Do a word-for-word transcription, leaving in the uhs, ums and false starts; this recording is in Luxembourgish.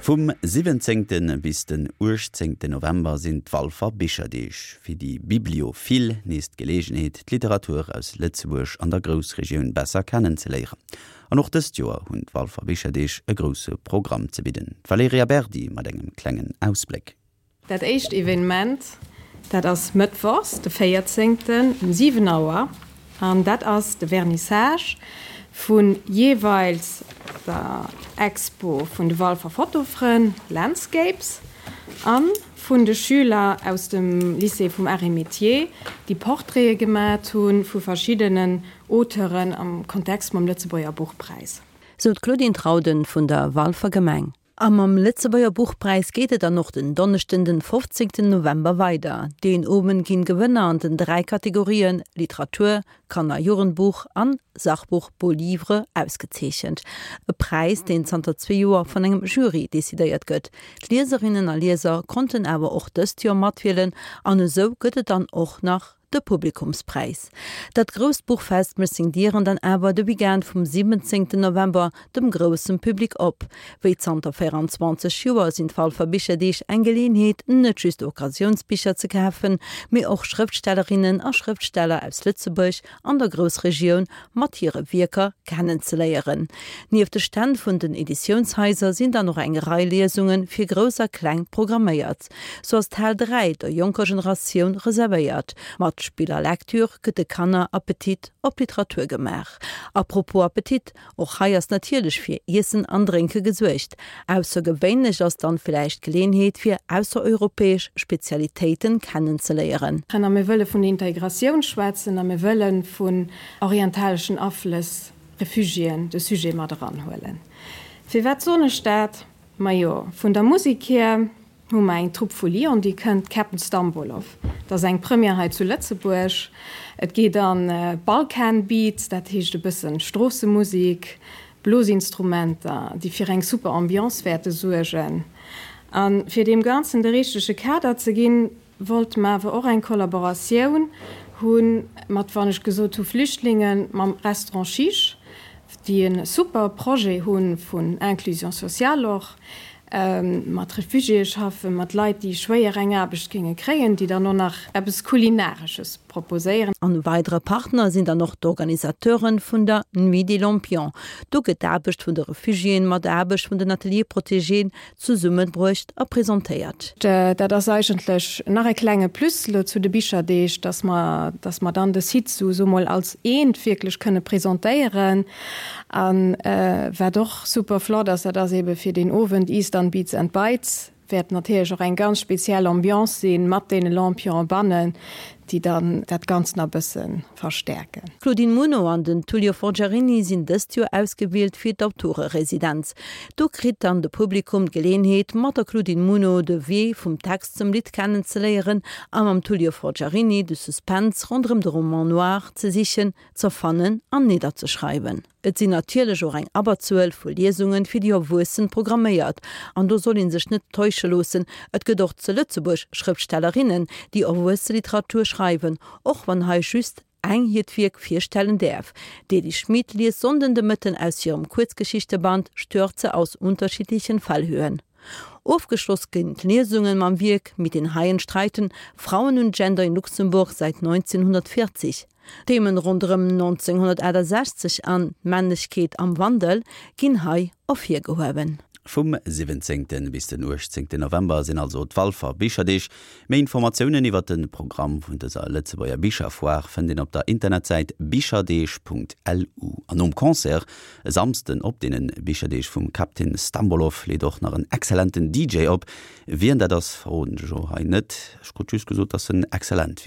Vum siwwenzéngte bis den uechtzéngte November sinn d'Walfer Bicherdeeg. Fir déi Bibliophil nees d'Geleegenheet, d'Literatur aus Lëtzebuerg an der Groussregioun besser kennenzeléieren. An och dëst Joer hunn d'Walfer Bicherdeeg e grousse Programm ze bidden. D'Valerija Berdi mat engem klengen Ausbléck. Dat éischt Evenement, dat ass mëttwochs, de véierzéngten um siwen Auer an dat ass de Vernissage vu jeeweils der Expo vun de Walfer Fotofrënn Landscapes a vun de Schüler aus dem Lycée vum Arts et Métiers, déi Portraite gemat hu vu verschiddenen Auteuren am Kontext mam Lëtzebuerger Buchpräis. Sou d'Claudine Trauden vun der Walfer Gemeng. A mam Lëtzebuerger Buchpräis geet et dann och den Donneschden den fofzéngten November weider. Deen Owend ginn d'Gewënner an den dräi Kategorien Literatur, Kanner Jugendbuch an Sachbuch Beau Livre ausgezeechent. E Präis, deen zanter zwee Joer vun engem Jury decidéiert gëtt. D'Lieserinnen a Lieser konnten awer och dëst Joer matwielen an esou gëtt et dann och nach de Publikumspräis. Dat grousst Buchfest mécht seng Dieren dann awer de Weekend vum siwwenzéngten November dem grousse Public op. Wéi zanter véierenzwanzeg Joer sinn d'Walfer Bicherdeeg eng Geleeënheet, net just Occasiounsbicher ze kafen, mee och Schrëftstellerinnen a Schrëftsteller aus Lëtzebuerg an der Groussregioun mat hire Wierker kennenzeléieren. Nieft de Stänn vun den Editiounshaiser sinn dann och eng Rei Liesunge fir Grouss a Kleng programméiert. Sou ass d'Hal dräi der jonker Generatioun reservéiert. Mat Spill a Lecture gëtt de Kanner Appetit op Literatur gemaach. Apropos Appetit, och hei ass natierlech fir Iessen an Drénke gesuergt. Aussergewéinlech ass dann villäicht d'Geleeënheet fir aussereuropäesch Spezialitéiten kennenzeléieren. A mir wëlle vun Integratioun schwätzen a mir wëlle vun orientaleschen Aflëss, Refugiéen de Sujet mat eranhuelen. Firwat soen ech dat? Majo, vun der Musek hier hu mer eng Trupp vu Lyon, déi kënnt, Captain Stambolov. Dat ass eng Première hei zu Lëtzebuerg. Et geet an Balkan Beats, dat heescht e bëssen Stroossemusek, Blosinstrumenter, déi fir eng super Ambiance wäerte suergen. A fir deem Ganzen de richtege Kader ze ginn, wollte mer awer och eng Kollaboratioun hu mat, wann ech gesot hu Flüchtlingen, mam Restaurant Chiche, déi e super Projet hu vun Inclusion sociale och, mat Refugiéë schaffen, mat Leit, déi schwéier eng Aarbecht géinge kréien, déi dann och nach eppes Kulinaresches proposéieren. En weidere Partner sinn dann och d'Organisateuren vun der Nuit des Lampions. Do gëtt d'Aarbecht vun de Refugiéen mat der Aarbecht vun den Ateliers protégéen zesummebruecht a presentéiert. Dat ass eigentlech nach e klenge Plus elo zu de Bicherdeeg, dass mer, dass mer dann de Site sou sou mol als eent wierklech kënne presentéieren. A wat och super flott ass, dat ass eebe fir deen Owend Eastern Beats and Bites wäert natierlech och eng ganz speziell Ambiance sinn, mat deene Lampionen bannen, déi dann dat Ganzt nach e bësse verstäerken. D'Claudine Muno an den Tullio Forgiarini sinn dëst Joer ausgewielt fir d'Autoreresidenz. Do kritt dann de Publikum d'Geleeënheet, mat der Claudine Muno de Wee vum Text zum Lidd kennenzeléieren a mam Tullio Forgiarini de Suspense ronderëm de Roman noir ze sichen, ze fannen an nidderzeschreiwen. Et sinn natierlech och eng Abberzuel vu Liesungen fir déi Erwuessen programméiert. An do soll een sech net täusche loossen, et gëtt och zu Lëtzebuerg Schrëftstellerinnen, déi Erwuesseliteratur schreiwen, och wann hei just eng hiert Wierk virstellen däerf. D'Ely Schmit liest Sonnden de Mëtten aus hirem Kuerzgeschichteband Stürze aus unterschiedlichen Fallhöhen. Ofgeschloss ginn d'Liesungen mam Wierk Mit den Haien streiten, Frauen und Gender in Luxemburg seit neunzehnhundertvierzig. Themen ronderëm neunzehnhundertachtesechzeg an d'Männlechkeet am Wandel ginn hei ervirgehuewen. Vum siwwenzéngten bis den uechtzéngten November sinn also d'Walfer Bicherdeeg. Méi Informatiounen iwwer de Programm vun dëser Lëtzebuerger Bicherfoire fënnt een op der Internetsäit bicherdeeg.lu. An nom Concert e Samsden op deene Bicherdeeg vum Captain Stambolov leet och nach en exzellenten D J op. Wien dat ass, verroden ech elo hei net. Ech krut just gesot, dass en exzellent wier.